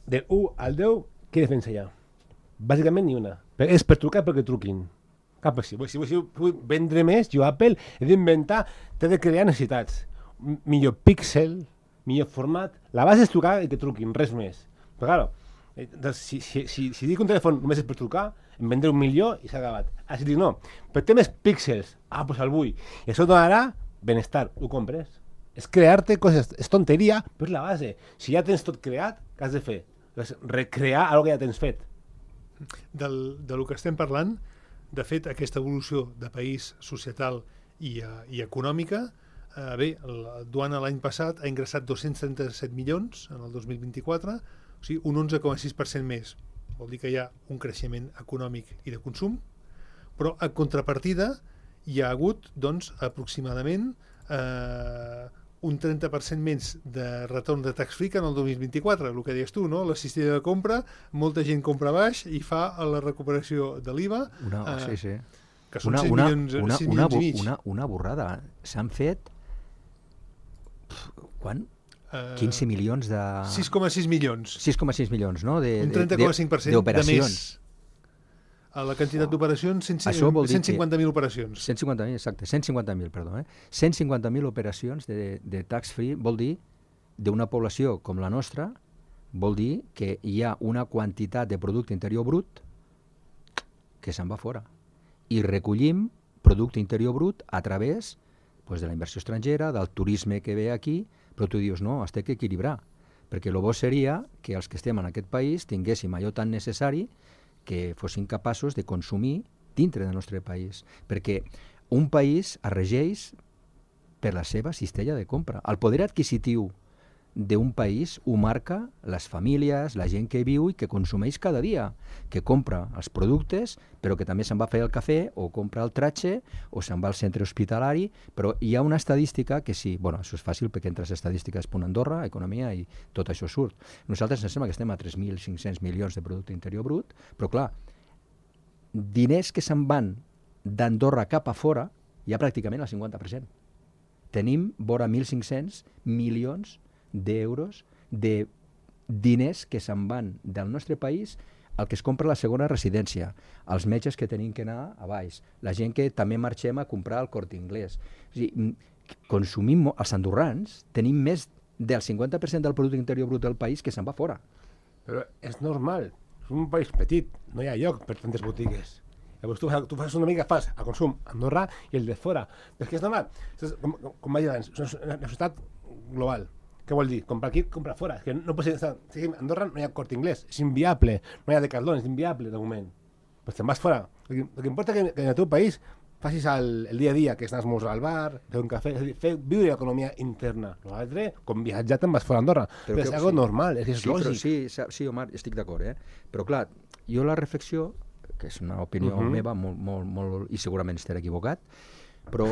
Del u al deu, què defensa ja? Bàsicament ni una. Però és per trucar perquè truquin. Cap si vull, si vull, si vull vendre més, jo Apple he d'inventar, t'he de crear necessitats. M- Millor píxel, millor format. La base és trucar i que truquin, res més. Però claro, eh, doncs, si, si, si, si dic un telèfon només és per trucar, em vendré un milió i s'ha acabat. Ah, si dic no, però té més píxels, ah, doncs el vull. I això donarà benestar, ho compres. És crear-te coses, és tonteria, però és la base. Si ja tens tot creat, què has de fer? Doncs recrear algo que ja tens fet. Del, de lo que estem parlant, de fet, aquesta evolució de país societal i, uh, i econòmica, uh, bé, la Duana l'any passat ha ingressat dos-cents trenta-set milions en el dos mil vint-i-quatre, o sigui, un onze coma sis per cent més. Vol dir que hi ha un creixement econòmic i de consum, però a contrapartida hi ha hagut, doncs, aproximadament eh, un trenta per cent menys de retorn de tax free que en el dos mil vint-i-quatre, el que deies tu, no? La cistella de compra, molta gent compra baix i fa la recuperació de l'I V A, Una, eh, sí, sí. que són Una, sis una, milions, una, sis una, milions i mig. una, una borrada. S'han fet quan? Eh, quinze milions de... sis coma sis milions. sis coma sis milions, no? De, Un trenta coma cinc per cent de més. A la quantitat d'operacions, Això vol dir cent cinquanta mil operacions. cent cinquanta mil, exacte, cent cinquanta mil, perdó. Eh? cent cinquanta mil operacions de, de tax free vol dir, d'una població com la nostra, vol dir que hi ha una quantitat de producte interior brut que se'n va fora. I recollim producte interior brut a través pues, de la inversió estrangera, del turisme que ve aquí, però tu dius, no, es té que equilibrar, perquè el bo seria que els que estem en aquest país tinguéssim allò tan necessari que fossin capaços de consumir dintre del nostre país, perquè un país es regeix per la seva cistella de compra. El poder adquisitiu d'un país ho marca les famílies, la gent que viu i que consumeix cada dia, que compra els productes, però que també se'n va fer el cafè, o compra el tratge, o se'n va al centre hospitalari, però hi ha una estadística que sí, bueno, això és fàcil perquè entres a estadístiques punt Andorra, economia, i tot això surt. Nosaltres ens sembla que estem a tres mil cinc-cents milions de producte interior brut, però clar, diners que se'n van d'Andorra cap a fora, hi ha pràcticament el cinquanta per cent. Tenim vora mil cinc-cents milions d'euros de diners que se'n van del nostre país el que es compra la segona residència, els metges que tenim que anar a baix, la gent que també marxem a comprar al Corte Inglés. O sigui, consumim, els andorrans tenim més del cinquanta per cent del producte interior brut del país que se'n va fora. Però és normal, és un país petit, no hi ha lloc per tantes botigues. Llavors tu, tu fas una mica, fas el consum a Andorra i el de fora. Però és que és normal, és, com, com vaig dir abans, és una societat global. Què vol dir? Comprar aquí, comprar fora. És que no pot ser, si a Andorra no hi ha Corte Inglés, és inviable. No hi ha Decathlon, és inviable de moment. Però te'n vas fora. El que, el que importa que, que en el teu país facis el, el dia a dia, que és anar a esmorzar al bar, fer un cafè, és a dir, fer, viure l'economia interna. L'altre, com viatjar, te'n vas fora a Andorra. Però, però és algo sí. normal, és, és sí, lògic. Però sí, sí, Omar, estic d'acord, eh? Però clar, jo la reflexió, que és una opinió uh -huh. meva, molt, molt, molt, i segurament estaré equivocat, però,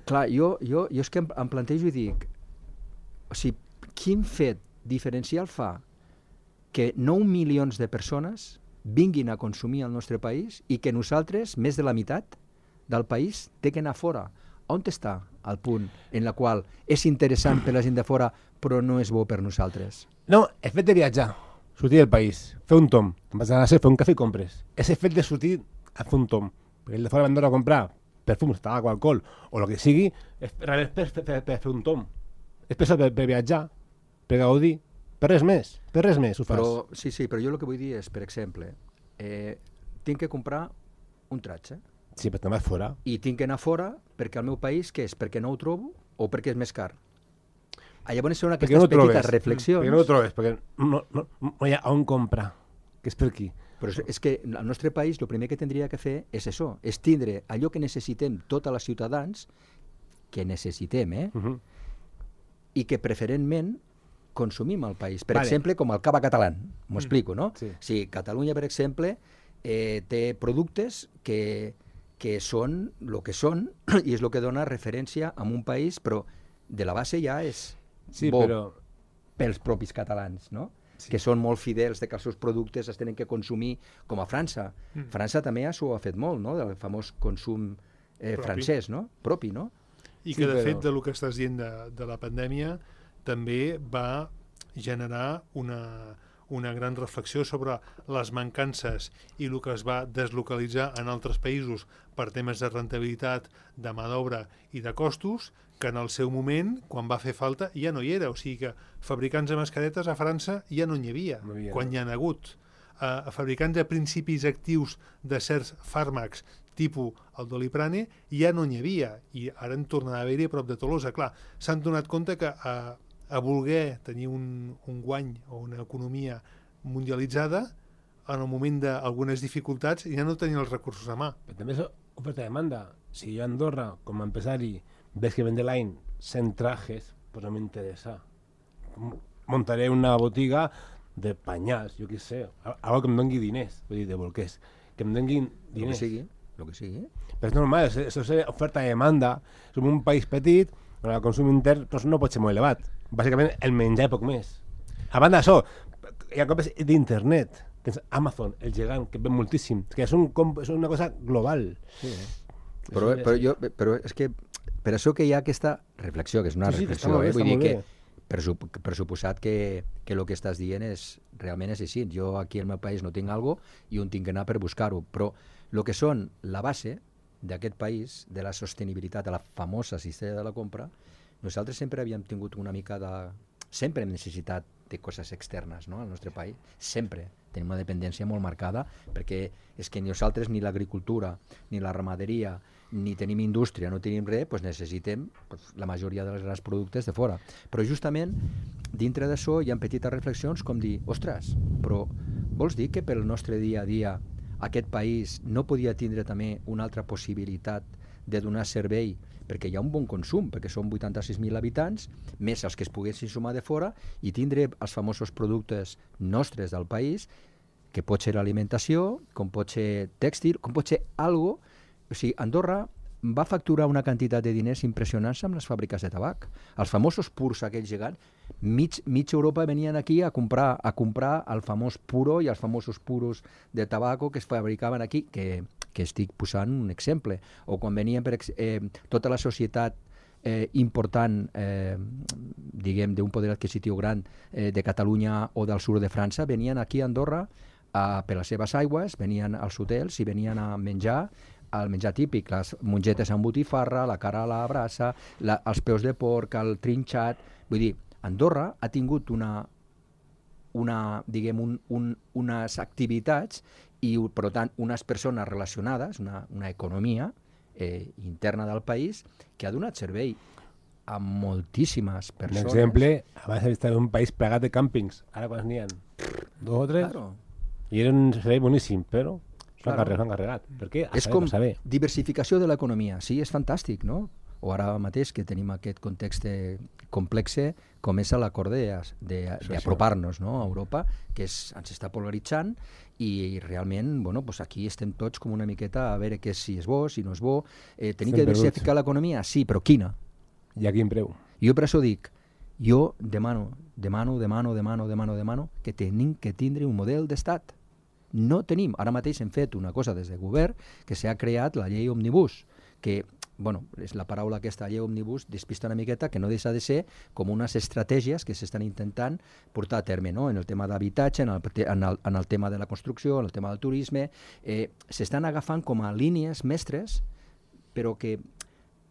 clar, jo, jo, jo és que em, em plantejo i dic, o sigui, quin fet diferencial fa que nou milions de persones vinguin a consumir al nostre país i que nosaltres, més de la meitat, del país té que anar fora. On està el punt en la qual és interessant per la gent de fora però no és bo per nosaltres? No, el fet de viatjar, sortir del país, fer un tom, vas a fer un cafè i compres. És el fet de sortir a fer un tom. Perquè el de fora van a comprar perfums, tabac o alcohol, o el que sigui, és per, per, per, per, per fer un tom. És per, per, per viatjar, per gaudir, per res més, per res més ho fas. Però, sí, sí, però jo el que vull dir és, per exemple, eh, tinc que comprar un tratge. Sí, però te'n vas fora. I tinc que anar fora perquè al meu país, què és? Perquè no ho trobo o perquè és més car? Ah, llavors són aquestes no petites trobes, reflexions. Perquè no ho trobes, perquè no, no, no hi ha on comprar, que és per aquí. Però és, és que al nostre país el primer que tindria que fer és això, és tindre allò que necessitem tots els ciutadans, que necessitem, eh? Uh -huh. I que preferentment consumim al país. Per Vale. exemple, com el cava català, m'ho Mm. explico, no? Sí. Si Catalunya, per exemple, eh, té productes que, que són el que són i és el que dona referència a un país, però de la base ja és Sí, bo però... pels propis catalans, no? Sí. Que són molt fidels de que els seus productes es tenen que consumir com a França. Mm. França també s'ho ha fet molt, no? Del famós consum eh, Propi. francès, no? Propi, no? I Sí, que, de però- fet, del que estàs dient de, de la pandèmia, també va generar una, una gran reflexió sobre les mancances i el que es va deslocalitzar en altres països per temes de rentabilitat, de mà d'obra i de costos, que en el seu moment, quan va fer falta, ja no hi era. O sigui que fabricants de mascaretes a França ja no n'hi havia, No hi havia, quan no. hi han hagut. Uh, fabricants de principis actius de certs fàrmacs tipus el doliprane ja no n'hi havia, i ara en torna a haver-hi a prop de Tolosa. Clar, s'han donat compte que a, a voler tenir un, un guany o una economia mundialitzada, en el moment d'algunes dificultats ja no tenien els recursos a mà. Però també és oferta de demanda. Si jo a Andorra, com a empresari, veig que vende l'any cent trajes, pues no m'interessa. M- Montaré una botiga de panyals, jo què sé, a- algo que em doni diners, vull dir, de bolquers, que em donin El que diners. sigui, el que sigui. Però és normal, és, és, és oferta i demanda. Som un país petit, on el consum intern doncs, no pot ser molt elevat. Bàsicament, el menjar i poc més. A banda d'això, hi ha compres d'internet. Tens Amazon, el gegant, que ven moltíssim. És que és, un, comp- és una cosa global. Sí, eh? Però, però, jo, però és que per això que hi ha aquesta reflexió, que és una Sí, sí, que està reflexió, molt bé, eh? Vull està dir molt que bé. per, sup per suposat que, que el que estàs dient és, realment és així. Jo aquí al meu país no tinc algo i on tinc que anar per buscar-ho, però el que són la base d'aquest país, de la sostenibilitat, de la famosa cistella de la compra, nosaltres sempre havíem tingut una mica de... Sempre hem necessitat de coses externes, no?, al nostre país. Sempre. Tenim una dependència molt marcada, perquè és que nosaltres ni l'agricultura, ni la ramaderia, ni tenim indústria, no tenim res, doncs necessitem doncs, la majoria dels grans productes de fora. Però justament, dintre d'això hi ha petites reflexions com dir, ostres, però vols dir que pel nostre dia a dia aquest país no podia tindre també una altra possibilitat de donar servei, perquè hi ha un bon consum, perquè són vuitanta-sis mil habitants, més els que es poguessin sumar de fora, i tindre els famosos productes nostres del país, que pot ser alimentació, com pot ser tèxtil, com pot ser algo. O sigui, Andorra va facturar una quantitat de diners impressionants amb les fàbriques de tabac. Els famosos purs aquells gegants, mig, mig Europa venien aquí a comprar a comprar el famós puro i els famosos puros de tabaco que es fabricaven aquí, que, que estic posant un exemple. O quan venien per, eh, tota la societat eh, important, eh, diguem, d'un poder adquisitiu gran eh, de Catalunya o del sud de França, venien aquí a Andorra a, per les seves aigües, venien als hotels i venien a menjar el menjar típic, les mongetes amb botifarra, la cara a la brasa, la, els peus de porc, el trinxat. Vull dir, Andorra ha tingut una, una diguem, un, un, unes activitats i, per tant, unes persones relacionades, una, una economia eh, interna del país que ha donat servei a moltíssimes Per persones. exemple, abans estava un país plegat de càmpings, ara quants n'hi ha? Dos o tres? Claro. I era un servei boníssim, però s'han Claro. carregat, s'han carregat. Per què? A És saber, com a saber. diversificació de l'economia. Sí, és fantàstic, no? O ara mateix que tenim aquest context complex com és l'acord d'apropar-nos, no?, a Europa, que és, ens està polaritzant i realment, bueno, pues aquí estem tots com una miqueta a veure què si és bo, si no és bo. Eh, tenim Estem que diversificar l'economia? Sí, però quina? I a quin preu? Jo per això dic, jo demano, demano, demano, demano, demano, demano que tenim que tindre un model d'estat. No tenim. Ara mateix hem fet una cosa des del govern que s'ha creat la llei Òmnibus. que bueno, és la paraula aquesta llei òmnibus despista una miqueta, que no deixa de ser com unes estratègies que s'estan intentant portar a terme, no? En el tema d'habitatge, en, el, en, el, en el tema de la construcció, en el tema del turisme, eh, s'estan agafant com a línies mestres, però que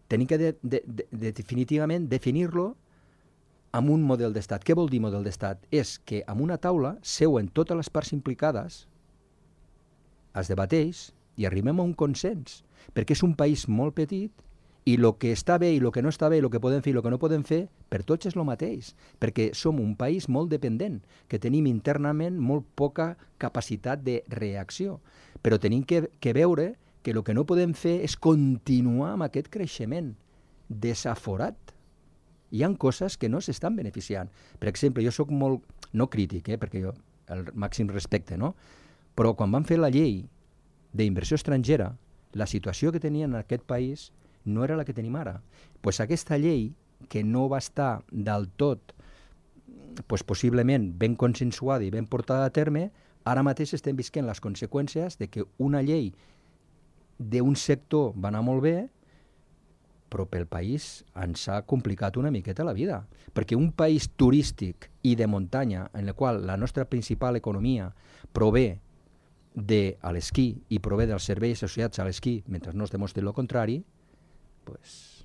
tenim que de, de, de, de definitivament definir-lo amb un model d'estat. Què vol dir model d'estat? És que amb una taula seuen totes les parts implicades, es debateix i arribem a un consens, perquè és un país molt petit i el que està bé i el que no està bé, el que podem fer i el que no podem fer, per tots és el mateix, perquè som un país molt dependent, que tenim internament molt poca capacitat de reacció, però tenim que, que veure que el que no podem fer és continuar amb aquest creixement desaforat. Hi ha coses que no s'estan beneficiant. Per exemple, jo sóc molt, no crític, eh, perquè jo el màxim respecte, no? Però quan van fer la llei d'inversió estrangera, la situació que tenien en aquest país no era la que tenim ara. Pues aquesta llei, que no va estar del tot pues, possiblement ben consensuada i ben portada a terme, ara mateix estem visquent les conseqüències de que una llei d'un sector va anar molt bé, però pel país ens ha complicat una miqueta la vida. Perquè un país turístic i de muntanya, en el qual la nostra principal economia prové de l'esquí i prové dels serveis associats a l'esquí, mentre no es demostri el contrari, pues,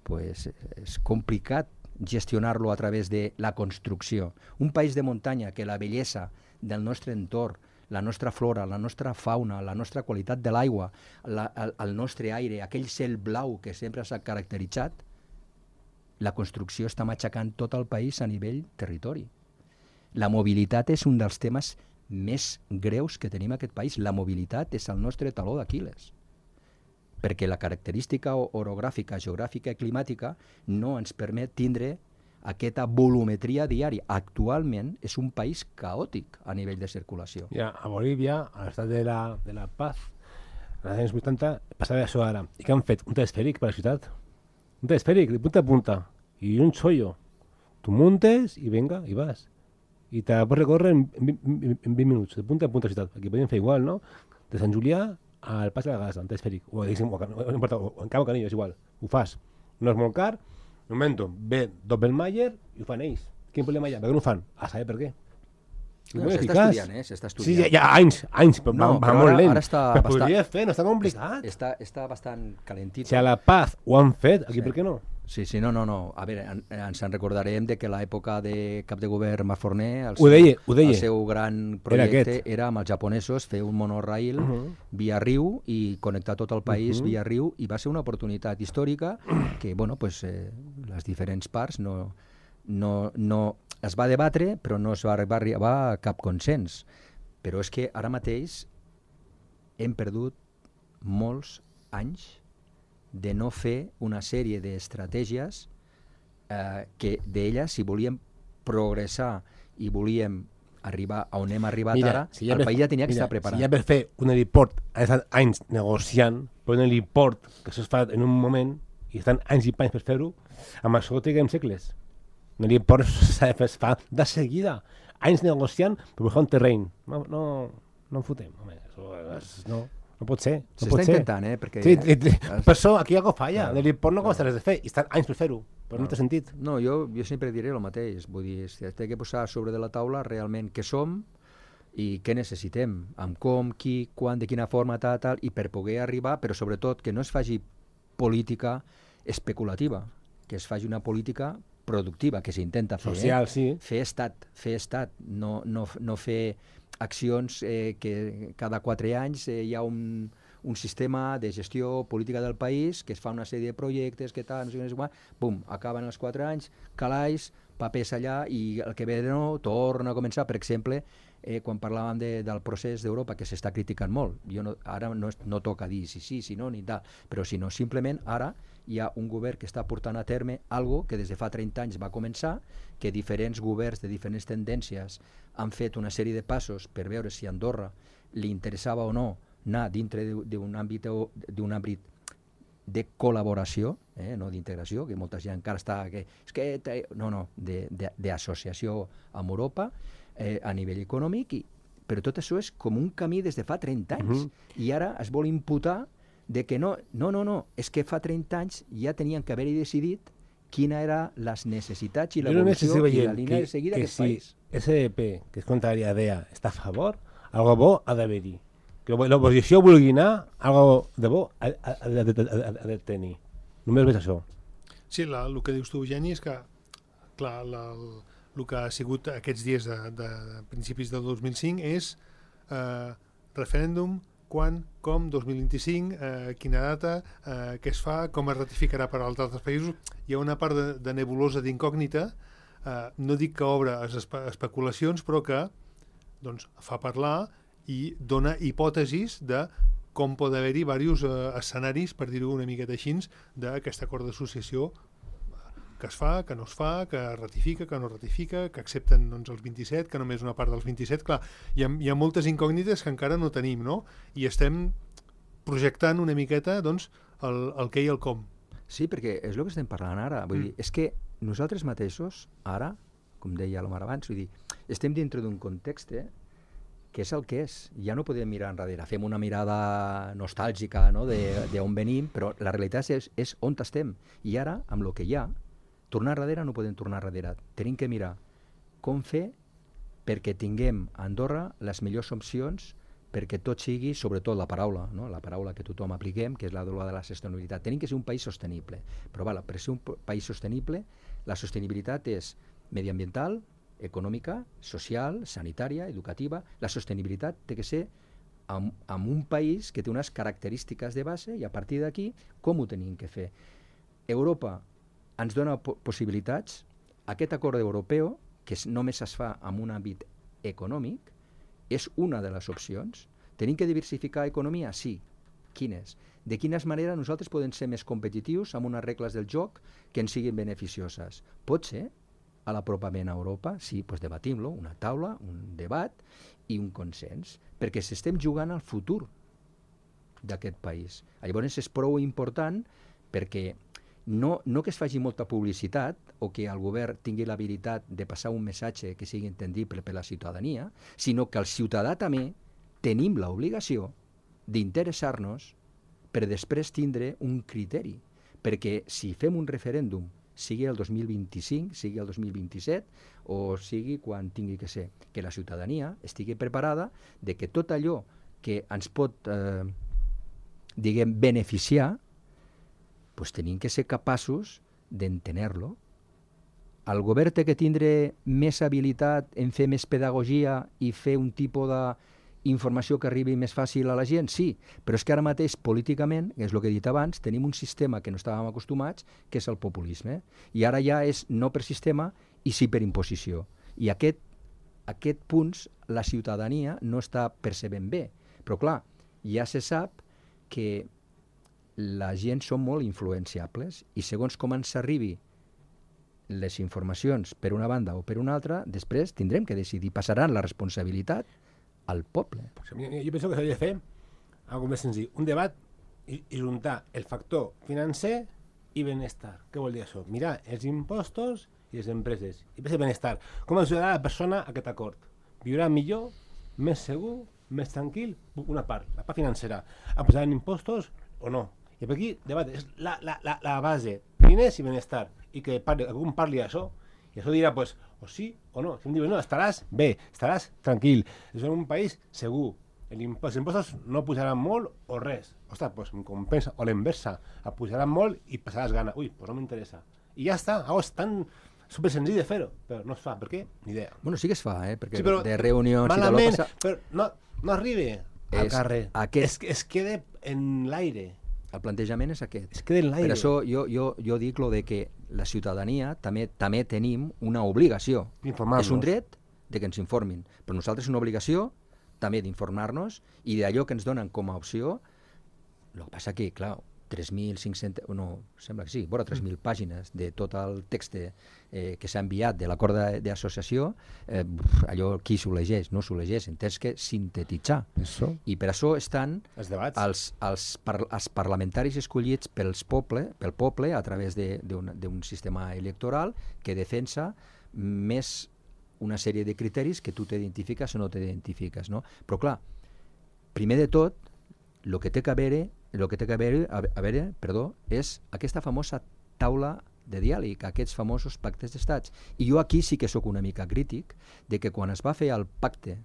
pues és complicat gestionar-lo a través de la construcció. Un país de muntanya que la bellesa del nostre entorn, la nostra flora, la nostra fauna, la nostra qualitat de l'aigua, el, el nostre aire, aquell cel blau que sempre s'ha caracteritzat, la construcció està matxacant tot el país a nivell territori. La mobilitat és un dels temes més greus que tenim a aquest país. La mobilitat és el nostre taló d'Aquil·les, perquè la característica orogràfica, geogràfica i climàtica no ens permet tindre aquesta volumetria diària. Actualment és un país caòtic a nivell de circulació. Ja, a Bolívia, a l'estat de la, de la Paz, als anys vuitanta, passava això ara. I què han fet? Un telesfèric per la ciutat. Un telesfèric, de punta a punta. I un xollo. Tu muntes i venga, i vas. I te pots recórrer en, en, en, en vint minuts, de punta a punta a ciutat. Aquí podem fer igual, no? De Sant Julià al Pas de la Gasa, en telesfèric. O, diguéssim, o, no importa, o, o en Cabo Canillo, és igual. Ho fas. No és molt car. Un moment, ve Doppelmayr i ho fan ells. Quin problema hi ha? Per què no ho fan? A saber per què. No, s'està estudiant, eh? S'està estudiant. Sí, ja, ja anys, anys, però no, va, va molt lent. Ara està però bastant... podria fer, no està complicat. Està, està bastant calentito. Si a la Paz ho han fet, aquí sí. Per què no? Sí, sí, no, no, no. A veure, en, ens en recordarem de que l'època de cap de govern Mas Forner, el, ho deia, ho deia. el seu gran projecte era, era amb els japonesos fer un monorail uh -huh. via riu i connectar tot el país uh -huh. via riu, i va ser una oportunitat històrica que, bueno, pues, eh, les diferents parts no, no, no es va debatre, però no es va arribar a cap consens. Però és que ara mateix hem perdut molts anys de no fer una sèrie d'estratègies eh, que d'elles, si volíem progressar i volíem arribar a on hem arribat mira, ara, si el per, país ja tenia que mira, estar preparat. Si ja per fer un heliport ha estat anys negociant, però un heliport que això es fa en un moment i estan anys i panys per fer-ho, amb això triguem segles. Un heliport es fa de seguida, anys negociant per buscar un terreny. No, no, no en fotem, home, això és, no... No pot ser. No S'està intentant, eh? Perquè... Sí, per això aquí hi ha falla. No. L'heliport no costa res de fer i estan anys per fer-ho, però no, no té sentit. No, jo, jo sempre diré el mateix. Vull dir, té que posar sobre de la taula realment què som i què necessitem, amb com, qui, quan, de quina forma, tal, tal, i per poder arribar, però sobretot que no es faci política especulativa, que es faci una política productiva, que s'intenta fer. Social, eh? sí. Fer estat, fer estat, no, no, no fer accions eh, que cada quatre anys eh, hi ha un, un sistema de gestió política del país, que es fa una sèrie de projectes, que tal, no sé què, no sé quan, bum, acaben els quatre anys, calaix, papers allà, i el que ve de nou torna a començar. Per exemple, eh, quan parlàvem de, del procés d'Europa, que s'està criticant molt, jo no, ara no, no toca dir si sí, si no, ni tal, però si no, simplement ara hi ha un govern que està portant a terme algo que des de fa trenta anys va començar, que diferents governs de diferents tendències han fet una sèrie de passos per veure si a Andorra li interessava o no anar dintre d'un àmbit, d'un àmbit de col·laboració, eh, no d'integració, que molta gent encara està... Que, és que, no, no, d'associació amb Europa eh, a nivell econòmic, i, però tot això és com un camí des de fa trenta anys. Uh-huh. I ara es vol imputar de que no, no, no, no, és que fa trenta anys ja tenien que haver-hi decidit quina era les necessitats i l'evolució i la línia de seguida d'aquest si país. S D P, que és contrària a D E A, està a favor, algo bo ha d'haver-hi. Que l'oposició vulgui anar, algo de bo ha, ha, ha, de, ha, ha de tenir. Només veig això. Sí, la, el que dius tu, Eugeni, és que clar, la, el, el que ha sigut aquests dies de, de principis del dos mil cinc és eh, referèndum, quan, com, dos mil vint-i-cinc, eh, quina data, eh, què es fa, com es ratificarà per als altres països. Hi ha una part de, de nebulosa, d'incògnita, eh, no dic que obre les espe especulacions, però que doncs, fa parlar i dona hipòtesis de com pot haver-hi diversos eh, escenaris, per dir-ho una miqueta així, d'aquest acord d'associació que es fa, que no es fa, que ratifica, que no ratifica, que accepten doncs, els vint-i-set, que només una part dels vint-i-set. Clar, hi ha, hi ha moltes incògnites que encara no tenim, no? I estem projectant una miqueta doncs, el, el què i el com. Sí, perquè és el que estem parlant ara. Vull mm. dir, és que nosaltres mateixos, ara, com deia l'Omar abans, vull dir, estem dintre d'un context eh, que és el que és. Ja no podem mirar enrere. Fem una mirada nostàlgica no? d'on venim, però la realitat és, és on estem. I ara, amb el que hi ha, tornar darrere no podem tornar darrere. Tenim que mirar com fer perquè tinguem a Andorra les millors opcions perquè tot sigui, sobretot la paraula, no? la paraula que tothom apliquem, que és la de la sostenibilitat. Tenim que ser un país sostenible. Però vala, per ser un país sostenible, la sostenibilitat és mediambiental, econòmica, social, sanitària, educativa. La sostenibilitat té que ser amb, amb un país que té unes característiques de base i a partir d'aquí com ho tenim que fer. Europa ens dona po possibilitats. Aquest acord europeu, que només es fa en un àmbit econòmic, és una de les opcions. Tenim que diversificar economia? Sí. Quines? De quines maneres nosaltres podem ser més competitius amb unes regles del joc que ens siguin beneficioses? Pot ser a l'apropament a Europa? Sí, doncs debatim-lo, una taula, un debat i un consens, perquè s'estem jugant al futur d'aquest país. Llavors és prou important perquè No, no que es faci molta publicitat o que el govern tingui l'habilitat de passar un missatge que sigui entendible per la ciutadania, sinó que el ciutadà també tenim l'obligació d'interessar-nos per després tindre un criteri. Perquè si fem un referèndum, sigui el dos mil vint-i-cinc, sigui el dos mil vint-i-set o sigui quan tingui que ser, que la ciutadania estigui preparada de que tot allò que ens pot eh, diguem, beneficiar pues tenim que ser capaços d'entener-lo. El govern té que tindre més habilitat en fer més pedagogia i fer un tipus d'informació que arribi més fàcil a la gent? Sí, però és que ara mateix políticament, que és el que he dit abans, tenim un sistema que no estàvem acostumats, que és el populisme. I ara ja és no per sistema i sí per imposició. I aquest, aquest punts la ciutadania no està percebent bé. Però clar, ja se sap que la gent són molt influenciables i segons com ens arribi les informacions per una banda o per una altra, després tindrem que decidir. Passaran la responsabilitat al poble. Jo penso que s'hauria de fer algo més senzill. Un debat i, i juntar el factor financer i benestar. Què vol dir això? Mirar els impostos i les empreses. I per benestar. Com ajudarà la persona a aquest acord? Viurà millor, més segur, més tranquil, una part, la part financera. A posar en impostos o no? I per aquí, debat, és la, la, la, la base, diners i benestar, i que parli, algú parli d'això, i això dirà, pues, o sí o no. Si em diuen, no, estaràs bé, estaràs tranquil, és un país segur, els impostos no pujaran molt o res, ostres, pues em compensa, o l'inversa, et pujaran molt i passaràs gana, ui, pues no m'interessa. I ja està, oh, és tan super senzill de fer-ho, però no es fa, per què? Ni idea. Bueno, sí que es fa, eh, perquè sí, però, de reunions malament, i de lo passa... però no, no arriba al carrer, aquest... es, es queda en l'aire. El plantejament és aquest. Es queda en l'aire. Per això jo, jo, jo dic lo de que la ciutadania també també tenim una obligació. És un dret de que ens informin, però nosaltres una obligació també d'informar-nos i d'allò que ens donen com a opció. El que passa que, clar, tres mil cinc-cents, no, sembla que sí, vora tres mil pàgines de tot el text eh, que s'ha enviat de l'acord d'associació, eh, allò qui s'ho legeix, no s'ho legeix, tens que sintetitzar. Eso. I per això estan els, els, els, par els parlamentaris escollits pels poble, pel poble a través d'un sistema electoral que defensa més una sèrie de criteris que tu t'identifiques o no t'identifiques, no? Però clar, primer de tot, el que té que haver el que té que haver, a veure, perdó, és aquesta famosa taula de diàleg, aquests famosos pactes d'estats. I jo aquí sí que sóc una mica crític de que quan es va fer el pacte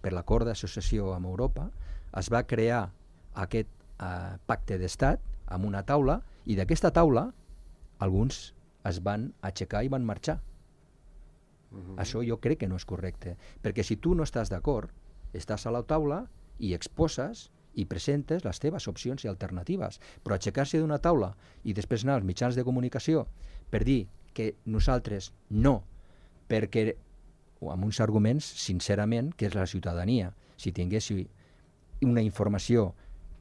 per l'acord d'associació amb Europa, es va crear aquest eh, pacte d'estat amb una taula, i d'aquesta taula alguns es van aixecar i van marxar. Uh-huh. Això jo crec que no és correcte, perquè si tu no estàs d'acord, estàs a la taula i exposes i presentes les teves opcions i alternatives, però aixecar-se d'una taula i després anar als mitjans de comunicació per dir que nosaltres no, perquè amb uns arguments, sincerament, que és la ciutadania, si tingués una informació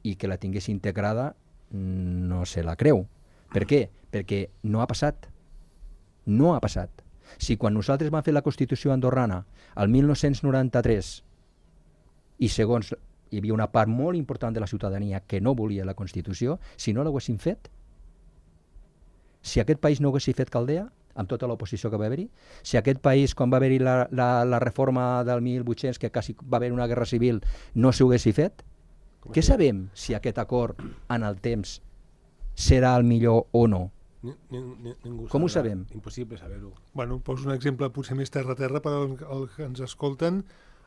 i que la tingués integrada, no se la creu. Per què? Perquè no ha passat. No ha passat. Si quan nosaltres vam fer la Constitució andorrana el mil nou-cents noranta-tres i segons hi havia una part molt important de la ciutadania que no volia la Constitució, si no l'haguessin fet, si aquest país no haguessin fet Caldea, amb tota l'oposició que va haver-hi, si aquest país, quan va haver-hi la, la, la reforma del mil vuit-cents, que quasi va haver una guerra civil, no s'ho haguessin fet, què sabem si aquest acord en el temps serà el millor o no? Ni, ni, ni, ningú Com ho sabrà. sabem? Impossible saber-ho. Bueno, poso un exemple potser més terra-terra per als que ens escolten,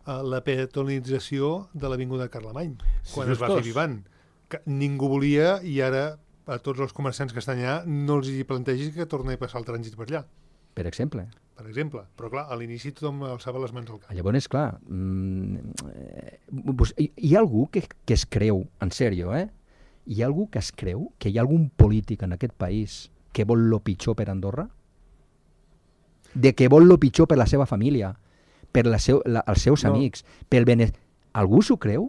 uh, la peatonalització de l'Avinguda Carlemany, quan Sí, es va fer justos. Vivant. Que ningú volia i ara a tots els comerciants que estan allà no els hi plantegis que torni a passar el trànsit per allà, Per exemple. per exemple. Però clar, a l'inici tothom alçava les mans al cap. Llavors, clar, mm, eh, pues, hi, hi ha algú que, que es creu, en sèrio, eh? Hi ha algú que es creu que hi ha algun polític en aquest país que vol lo pitjor per Andorra? De que vol lo pitjor per la seva família, per la seu, la, els seus No. amics, pel benestar... Algú s'ho creu?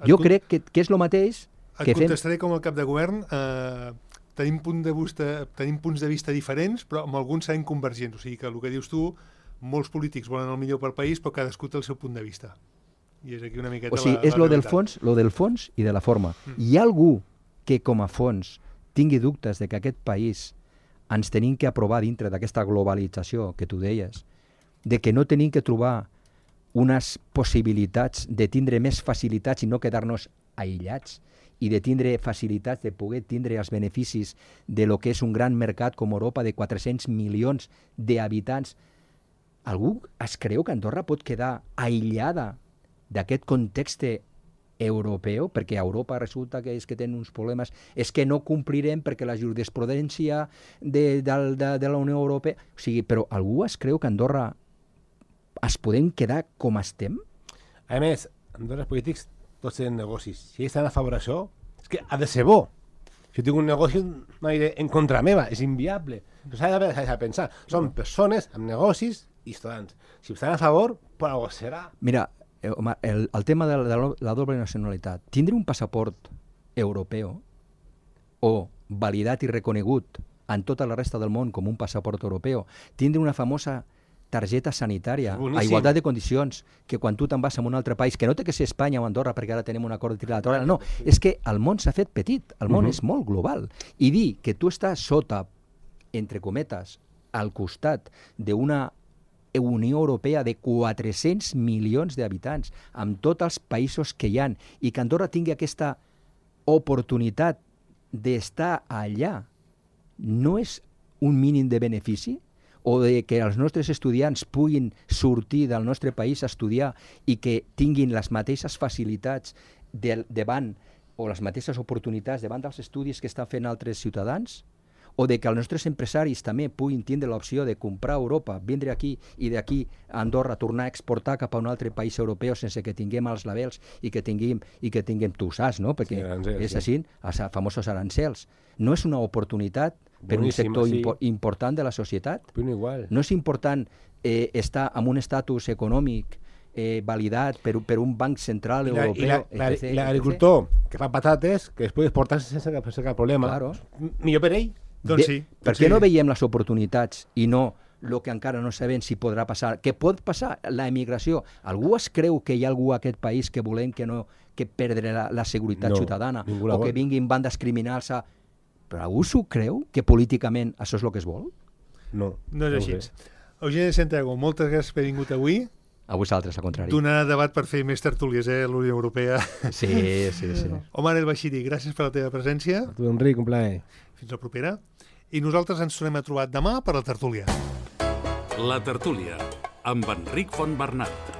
Et Jo con- crec que, que és el mateix Et que fem... contestaré com a cap de govern. Eh, tenim, punt de vista, tenim punts de vista diferents, però amb alguns serem convergents. O sigui que el que dius tu, molts polítics volen el millor pel país, però cadascú té el seu punt de vista. I és aquí una miqueta O sigui, la, és la lo del realitat. fons, lo del fons i de la forma. Mm. Hi ha algú que com a fons tingui dubtes de que aquest país ens tenim que aprovar dintre d'aquesta globalització que tu deies, de que no tenim que trobar unes possibilitats de tindre més facilitats i no quedar-nos aïllats, i de tindre facilitats de poder tindre els beneficis de lo que és un gran mercat com Europa de quatre-cents milions d'habitants. Algú es creu que Andorra pot quedar aïllada d'aquest context europeu, perquè a Europa resulta que és que tenen uns problemes, és que no complirem perquè la jurisprudència de, de, de, de la Unió Europea... O sigui, però algú es creu que Andorra es podem quedar com estem? A més, Andorra els polítics tots tenen negocis. Si ells estan a favor d'això, és que ha de ser bo. Si jo tinc un negoci, no aniré en contra meva, és inviable. S'ha de, s'ha de pensar. Són persones amb negocis i ciutadans. Si estan a favor, per algo serà. Mira, eh, Omar, el, el tema de la, de la doble nacionalitat, tindre un passaport europeu o validat i reconegut en tota la resta del món com un passaport europeu, tindre una famosa targeta sanitària, a igualtat de condicions, que quan tu te'n vas a un altre país, que no té que ser Espanya o Andorra perquè ara tenim un acord trilateral, no, és que el món s'ha fet petit, el món uh-huh. és molt global, i dir que tu estàs sota, entre cometes, al costat d'una Unió Europea de quatre-cents milions d'habitants, amb tots els països que hi han, i que Andorra tingui aquesta oportunitat d'estar allà, no és un mínim de benefici? O de que els nostres estudiants puguin sortir del nostre país a estudiar i que tinguin les mateixes facilitats de, davant o les mateixes oportunitats davant dels estudis que estan fent altres ciutadans? O de que els nostres empresaris també puguin tindre l'opció de comprar a Europa, vindre aquí i d'aquí a Andorra tornar a exportar cap a un altre país europeu sense que tinguem els labels i que tinguem, i que tinguem tu saps, no? Perquè sí, arancels, és sí. així, els famosos arancels. No és una oportunitat per Boníssim, un sector sí. impo important de la societat? Però igual. No és important eh, estar amb un estatus econòmic eh, validat per, per un banc central I la- europeu, i la- la- etcètera, l'agricultor que fa patates, que es pot exportar sense cap, sense cap problema. Claro. M- Millor per ell. Doncs Bé, sí. Per doncs què sí. no veiem les oportunitats i no el que encara no sabem si podrà passar? Què pot passar? La emigració. Algú es creu que hi ha algú a aquest país que volem que no que perdre la, la seguretat No, ciutadana ningú la o que vol. vinguin bandes criminals a... Però algú s'ho creu que políticament això és el que es vol? No. No és ho així. sé. Eugeni de Santiago, moltes gràcies per haver vingut avui. Avui és l'altre, és el contrari. Donar debat per fer més tertúlies, eh, la Unió Europea. Sí, sí, sí. Omar El Bashiri, gràcies per la teva presència. A tu, Enric, un plaer. Fins la propera. I nosaltres ens tornem a trobar demà per la tertúlia. La tertúlia, amb Enric Fontbernat.